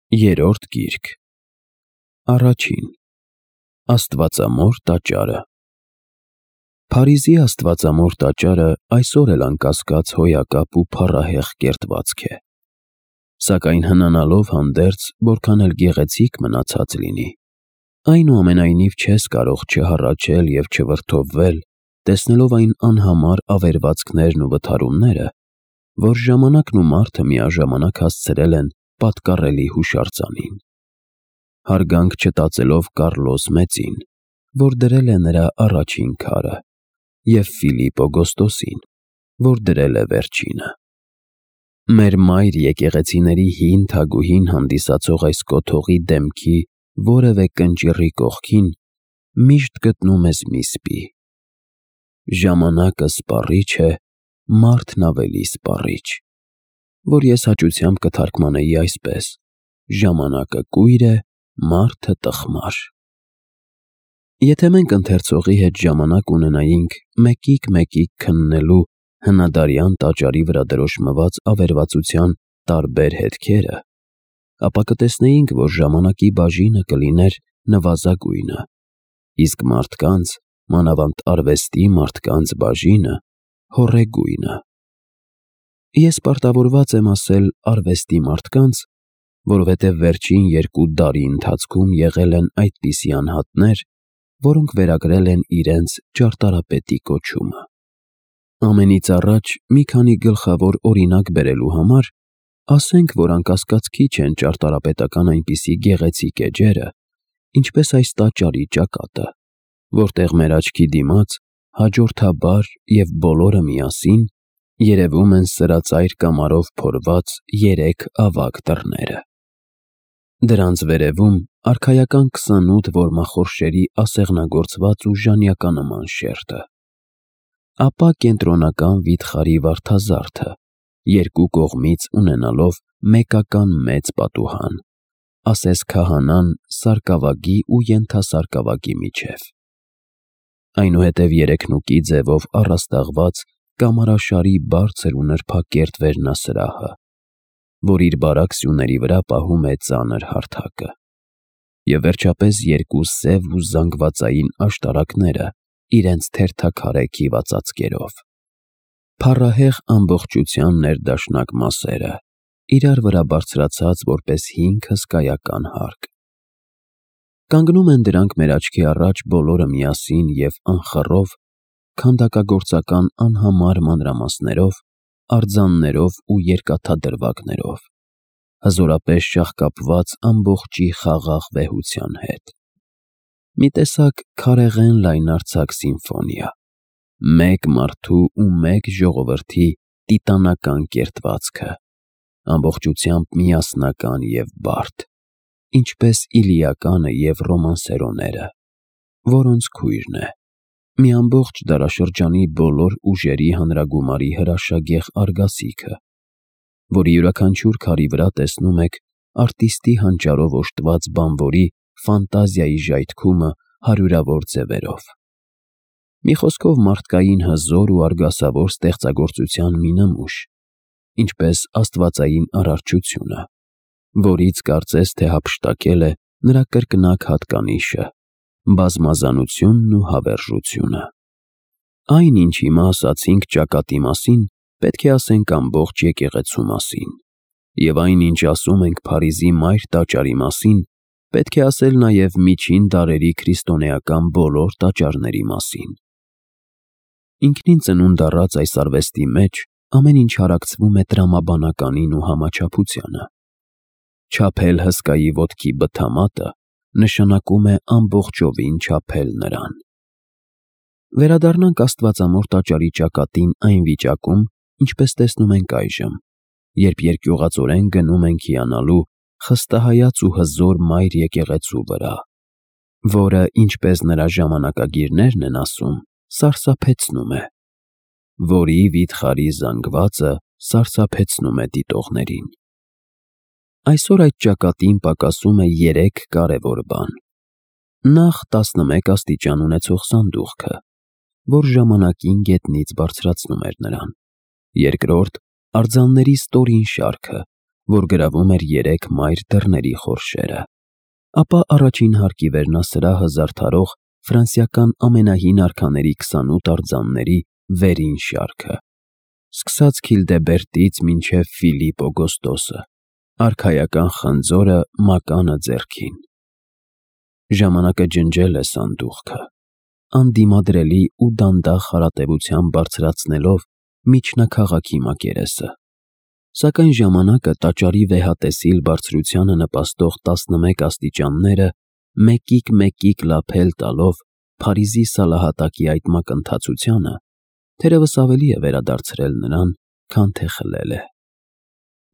Երրորդ գիրք։ Առաջին։ Աստվածամոր տաճարը։ Փարիզի աստվածամոր տաճարը այսօր էլ անկասկած հոյակապ ու փառահեղ կերտվածք է, սակայն հնանալով հանդերձ, որքան էլ գեղեցիկ մնացած լինի, այնուամենայնիվ չես կարող չհառաչել և չվրդովվել, տեսնելով այն անհամար ավերվածքներն ու վթարումները, որ ժամանակն ու մարդը միաժամանակ հասցրել են պատկառելի հուշարձանին, հարգանք չտածելով Կառլոս Մեծին, որ դրել է նրա առաջին քարը, և Ֆիլիպ Օգոստոսին, որ դրել է վերջինը։ Մեր մայր եկեղեցիների հին թագուհին հանդիսացող այս կոթողի դեմքի որևէ կնճիռի կողքին միշտ գտնում ես մի սպի։ Ժամանակը սպառիչ է, մարդն ավելի սպառիչ, որ ես հաճությամբ կթարգմանեի այսպես. ժամանակը կույր է, մարդը տխմար։ Եթե մենք ընթերցողի հետ ժամանակ ունենայինք մեկիկ քննելու հնադարյան տաճարի վրա դրոշմված ավերվածության տարբեր հետքերը, ապա կտեսնեինք, որ ժամանակի բաժինը կլիներ նվազագույնը, իսկ մարդկանց, մանավանդ արվեստի մարդկանց բաժինը հոռեգույնը։ Ես պարտավորված եմ ասել արվեստի մարդկանց, որովհետև վերջին 2 դարի ընթացքում եղել են այդպիսի անհատներ, որոնք վերագրել են իրենց ճարտարապետի կոչումը։ Ամենից առաջ մի քանի գլխավոր օրինակ բերելու համար ասենք, որ անկասկած քիչ են ճարտարապետական այնպիսի գեղեցիկ էջերը, ինչպես այս տաճարի ճակատը, որտեղ մեր աչքի դիմաց հաջորդաբար և բոլորը միասին երևում են սրածայր կամարով փորված 3 ավագ դռները։ Դրանց վերևում արքայական 28 որմախորշերի ասեղնագործված ու ժանյականման շերտը, ապա կենտրոնական վիթխարի վարդազարդը, 2 կողմից ունենալով մեկական մեծ պատուհան, ասես քահանան սարկավագի ու ենթասարկավագի միջև։ Այնուհետև 3 նուկի ձևով առաստաղված կամարաշարի բարձր ու նրբակերտ վերնասրահը, որ իր բարակ սյուների վրա պահում է ծանր հարթակը, և վերջապես 2 սև ու զանգվածային աշտարակները իրենց թերթաքարե քիվածածկերով։ Փառահեղ ամբողջության ներդաշնակ մասերը, իրար վրա բարձրացած որպես 5 հսկայական հարկ։ Կանգնում են դրանք մեր աչքի առաջ բոլորը միասին և անխռով, քանդակագործական անհամար մանրամասներով, արձաններով ու երկաթադրվագներով, հզորապես շաղկապված ամբողջի խաղաղ վեհության հետ։ Մի տեսակ քարեղեն լայնարձակ սիմֆոնիա, մեկ մարդու ու մեկ ժողովրդի տիտանական կերտվածքը, ամբողջությամբ միասնական և բարդ, ինչպես Իլիականը և ռոմանսերոները, որոնց քույրն է, մի ամբողջ դարաշրջանի բոլոր ուժերի հանրագումարի հրաշագեղ արգասիքը, որի յուրաքանչյուր քարի վրա տեսնում եք արտիստի հանճարով օժտված բանվորի ֆանտազիայի ժայթքումը հարյուրավոր ձևերով։ Մի խոսքով մարդկային հզոր ու արգասավոր ստեղծագործության մի նմուշ, ինչպես աստվածային արարչությունը, որից կարծես թե հափշտակել է նրա կրկնակ հատկանիշը՝ բազմազանությունն ու հավերժությունը։ Այն, ինչ հիմա ասացինք ճակատի մասին, պետք է ասենք ամբողջ եկեղեցու մասին, և այն, ինչ ասում ենք Փարիզի մայր տաճարի մասին, պետք է ասել նաև միջին դարերի քրիստոնեական բոլոր տաճարների մասին։ Ինքնին ծնունդ առած այս արվեստի մեջ ամեն ինչ հարակցվում է տրամաբանականին ու համաչափությանը։ Չափել հսկայի ոտքի բթամատը նշանակում է ամբողջովին չափել նրան։ Վերադառնանք աստվածամոր տաճարի ճակատին այն վիճակում, ինչպես տեսնում ենք այժմ, երբ երկյուղածորեն գնում ենք հիանալու խստահայաց ու հզոր մայր եկեղեցու վրա, որը, ինչպես նրա ժամանակագիրներն են ասում, սարսափեցնում է, որի վիթխարի զանգվածը սարսափեցնում է դիտողներին։ Այսօր այդ ճակատին պակասում է 3 կարևոր բան. Նախ 11 աստիճան ունեցող սանդուղքը, որ ժամանակին գետնից բարձրացնում էր նրան։ Երկրորդ, արձանների ստորին շարքը, որ գրավում էր 3 մայր դռների խորշերը, ապա առաջին հարկի վերնասրահը զարդարող ֆրանսիական ամենահին արքաների 28 արձանների վերին շարքը, սկսած Քիլդեբերտից մինչև Ֆիլիպ Օգոստոսը, արքայական խնձորը մականը ձեռքին։ Ժամանակը ջնջել է սանդուղքը, անդիմադրելի ու դանդաղ հարատևությամբ բարձրացնելով միջնաքաղաքի մակերեսը, սակայն ժամանակը տաճարի վեհատեսիլ բարձրությանը նպաստող 11 աստիճանները մեկիկ լափել տալով Փարիզի սալահատակի այդ մակընթացությանը թերևս ավելի է վերադարձրել նրան, քան թե խլել է,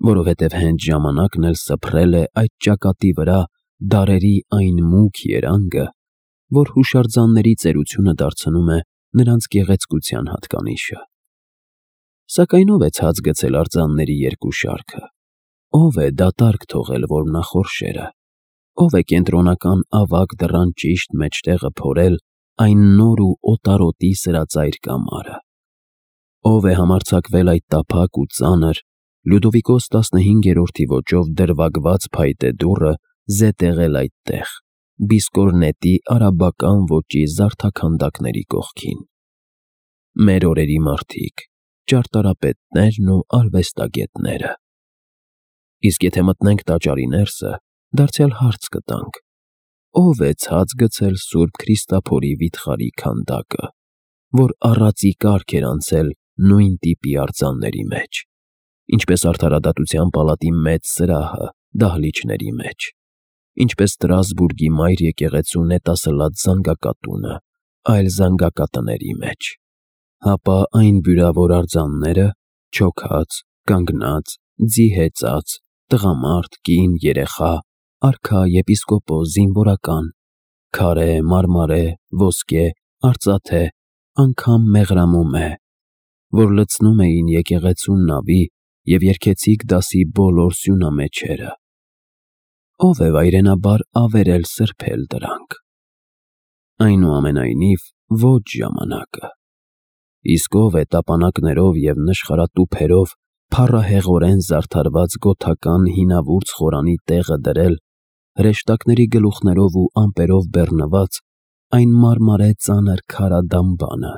որովհետև հենց ժամանակն էլ սփռել է այդ ճակատի վրա դարերի այն մուգ երանգը, որ հուշարձանների ծերությունը դարձնում է նրանց գեղեցկության հատկանիշը։ Սակայն ով է ցած գցել արձանների երկու շարքը, ով է դատարկ թողել որմնախորշերը, ով է կենտրոնական ավագ դռան ճիշտ մեջտեղը փորել այն նոր ու օտարոտի սրածայր կամարը, ով է համարձակվել այդ տափակ ու ծանր Լյուդովիկոս 15-րդի ոճով դրվագված փայտե դուռը զետեղել այդտեղ, Բիսկորնետի արաբական ոճի զարդաքանդակների կողքին։ Մեր օրերի մարդիկ, ճարտարապետներն ու արվեստագետները։ Իսկ եթե մտնենք տաճարի ներսը, դարձյալ հարց կտանք. ով է ցած գցել Սուրբ Քրիստափորի վիթխարի քանդակը, որ առածի կարգ էր անցել նույն տիպի արձանների մեջ, ինչպես Արդարադատության պալատի մեծ սրահը դահլիճների մեջ, ինչպես Ստրասբուրգի մայր եկեղեցու նետասլաց զանգակատունը այլ զանգակատների մեջ, հապա այն բյուրավոր արձանները՝ չոքած, կանգնած, ձի հեծած, տղամարդ, կին, երեխա, արքա, եպիսկոպոս, զինվորական, քարե, մարմարե, ոսկե, արծաթե, անգամ մեղրամոմե, որ լցնում էին եկեղեցու նավի և երգեցիկ դասի բոլոր սյունամեջերը, ով է վայրենաբար ավերել սրբել դրանք։ Այնուամենայնիվ, ոչ ժամանակը, իսկ ով է տապանակներով և նշխարատուփերով փառահեղորեն զարդարված գոթական հինավուրց խորանի տեղը դրել հրեշտակների գլուխներով ու ամպերով բեռնված այն մարմարե ծանր քարադամբանը,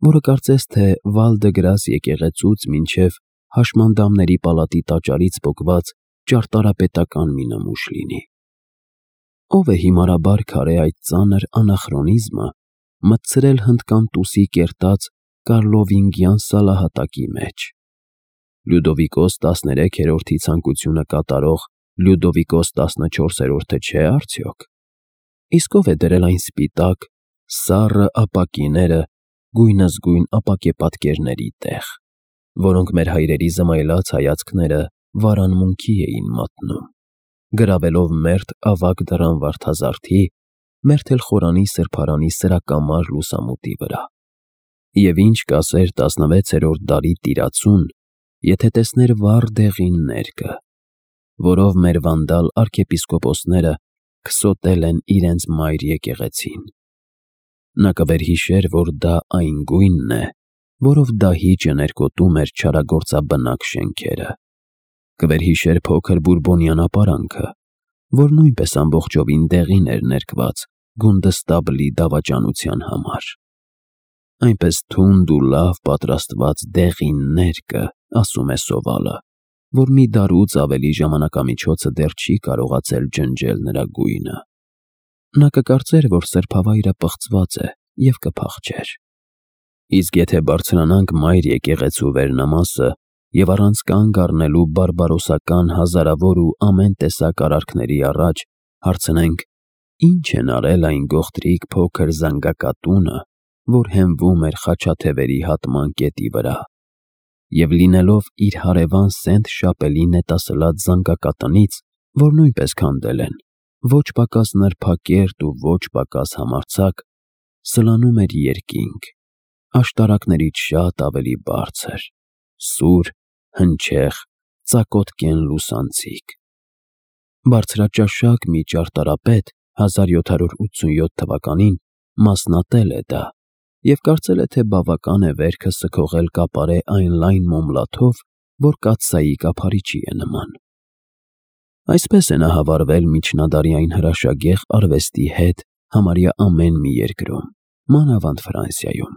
որը կարծես թե Վալ-դը-Գրաս եկեղեցուց մինչև Հաշմանդամների պալատի տաճարից պոկված ճարտարապետական մի նմուշ լինի։ Ով է հիմարաբար քարե այդ ծանր անախրոնիզմը մտցրել հնդկանտուսի կերտած կարլովինգյան սալահատակի մեջ, Լյուդովիկոս 13-րդի ցանկությունը կատարող Լյուդովիկոս 14-րդը չէ արդյոք, իսկ ով է դրել այն սպիտակ, սառը ապակիները գույնզգույն ապակեպատկերների տեղ, որոնք մեր հայրերի զմայլած հայացքները վարանմունքի էին մատնում, գրավելով մերթ ավագ դռան վարդազարդի, մերթ էլ խորանի սրբարանի սրակամար լուսամուտի վրա։ Եվ ինչ կասեր 16-րդ դարի տիրացուն, եթե տեսներ վառ դեղին ներկը, որով մեր վանդալ արքեպիսկոպոսները քսոտել են իրենց մայր եկեղեցին։ Նա կվերհիշեր, որ դա այն գույնն է, որով դահիճը ներկոտում էր չարագործաբնակ շենքերը, կվերհիշեր փոքր բուրբոնյան ապարանքը, որ նույնպես ամբողջովին դեղին էր ներկված գունդստաբլի դավաճանության համար։ Այնպես թունդ ու լավ պատրաստված դեղին ներկը, ասում է սովալը, որ մի դարուց ավելի ժամանակամիջոցը դեռ չի կարողացել ջնջել նրա գույնը։ Նա կկարծեր, որ սրբավայրը պղծված է և կփախչեր։ Իսկ եթե բարձրանանք մայր եկեղեցու վերնամասը և առանց կանգ առնելու բարբարոսական հազարավոր ու ամեն տեսակ արարքների առաջ հարցնենք. ինչ են արել այն գողտրիկ փոքր զանգակատունը, որ հենվում էր Խաչաթևերի հատման կետի վրա, և լինելով իր հարևան Սենթ Շապելի նետասլաց զանգակատնից, որ նույնպես քանդել են, ոչ պակաս նրբակերտ ու ոչ պակաս համարձակ, սլանում էր երկինք, աշտարակներից շատ ավելի բարձր, սուր, հնչեղ, ծակոտկեն լուսանցիկ։ Բարձրաճաշակ մի ճարտարապետ 1787 թվականին մասնատել է դա և կարծել է, թե բավական է վերքը սքողել կապարե այն լայն մոմլաթով, որ կաթսայի կափարիչի է նման։ Այսպես է նա հավարվել միջնադարի այն հրաշագեղ արվեստի հետ համարյա ամեն մի երկրում, մանավանդ Ֆրանսիայում։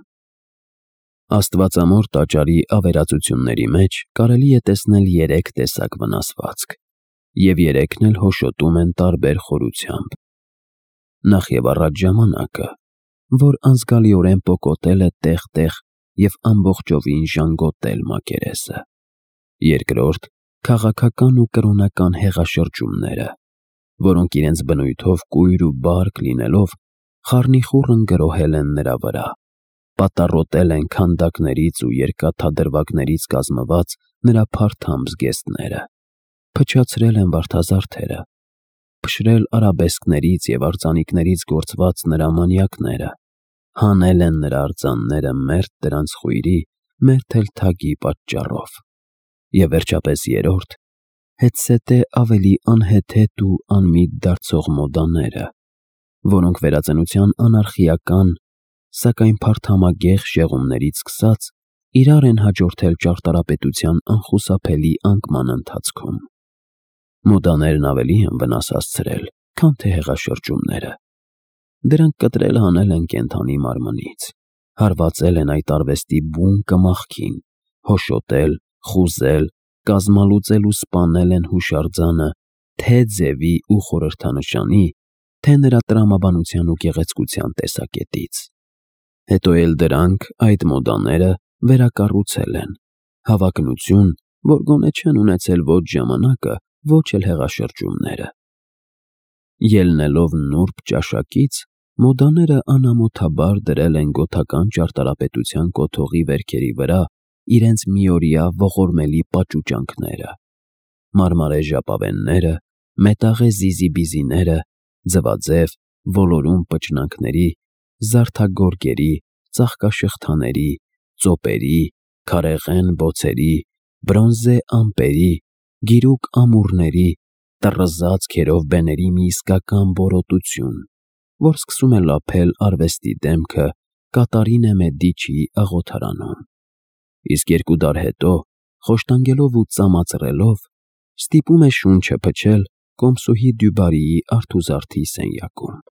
Աստվածամոր տաճարի ավերածությունների մեջ կարելի է տեսնել 3 տեսակ վնասվածք, և 3-ն էլ հոշոտում են տարբեր խորությամբ։ Նախ և առաջ ժամանակը, որ անզգալիորեն պոկոտել է տեղ-տեղ և ամբողջովին ժանգոտել մակերեսը։ Երկրորդ՝ քաղաքական ու կրոնական հեղաշրջումները, որոնք իրենց բնույթով կույր ու բարակ լինելով խառնիխուռն գրոհել են նրա վրա, պատառոտել են քանդակներից ու երկաթադրվագներից կազմված նրա փարթամ զգեստները, փչացրել են վարդազարդերը, փշրել արաբեսկներից և արձանիկներից գործված նրա մանյակները, հանել են նրա արձանները մերթ դրանց խույրի, մերթ էլ թագի պատճառով։ Եվ վերջապես երրորդ, հետզհետե ավելի անհեթեթ ու անմիտ դարձող մոդաները, որոնք վերածնության անարխիական, սակայն փարթամագեղ շեղումներից սկսած իրար են հաջորդել ճարտարապետության անխուսափելի անկման ընթացքում։ Մոդաներն ավելի են վնաս հասցրել, քան թե հեղաշրջումները։ Դրանք կտրել հանել են կենդանի մարմնից, հարվածել են այդ արվեստի բուն կմախքին, հոշոտել, խուզել, կազմալուծել ու սպանել են հուշարձանը թե՛ ձևի ու խորհրդանշանի, թե՛ նրա տրամաբանության ու գեղեցկության տեսակետից։ Հետո էլ դրանք, այդ մոդաները, վերակառուցել են, հավակնություն, որ գոնե չեն ունեցել ոչ ժամանակը, ոչ էլ հեղաշրջումները։ Ելնելով նուրբ ճաշակից, մոդաները անամոթաբար դրել են գոթական ճարտարապետության կոթողի վերքերի վրա իրենց միօրյա ողորմելի պաճուճանքները՝ մարմարե ժապավենները, մետաղե զիզիբիզիները, ձվաձև, ոլորուն պճնանքների, զարդագորգերի, ծաղկաշղթաների, ծոպերի, քարեղեն բոցերի, բրոնզե ամպերի, գիրուկ ամուռների, տռզած քերովբեների մի իսկական որոտություն, որ սկսում է լափել արվեստի դեմքը Կատարինե Մեդիչիի աղոթարանում, իսկ 2 դար հետո, խոշտանգելով ու ծամածռելով, ստիպում է շունչը փչել Կոմսուհի Դյուբարիի արթուզարդի սենյակում։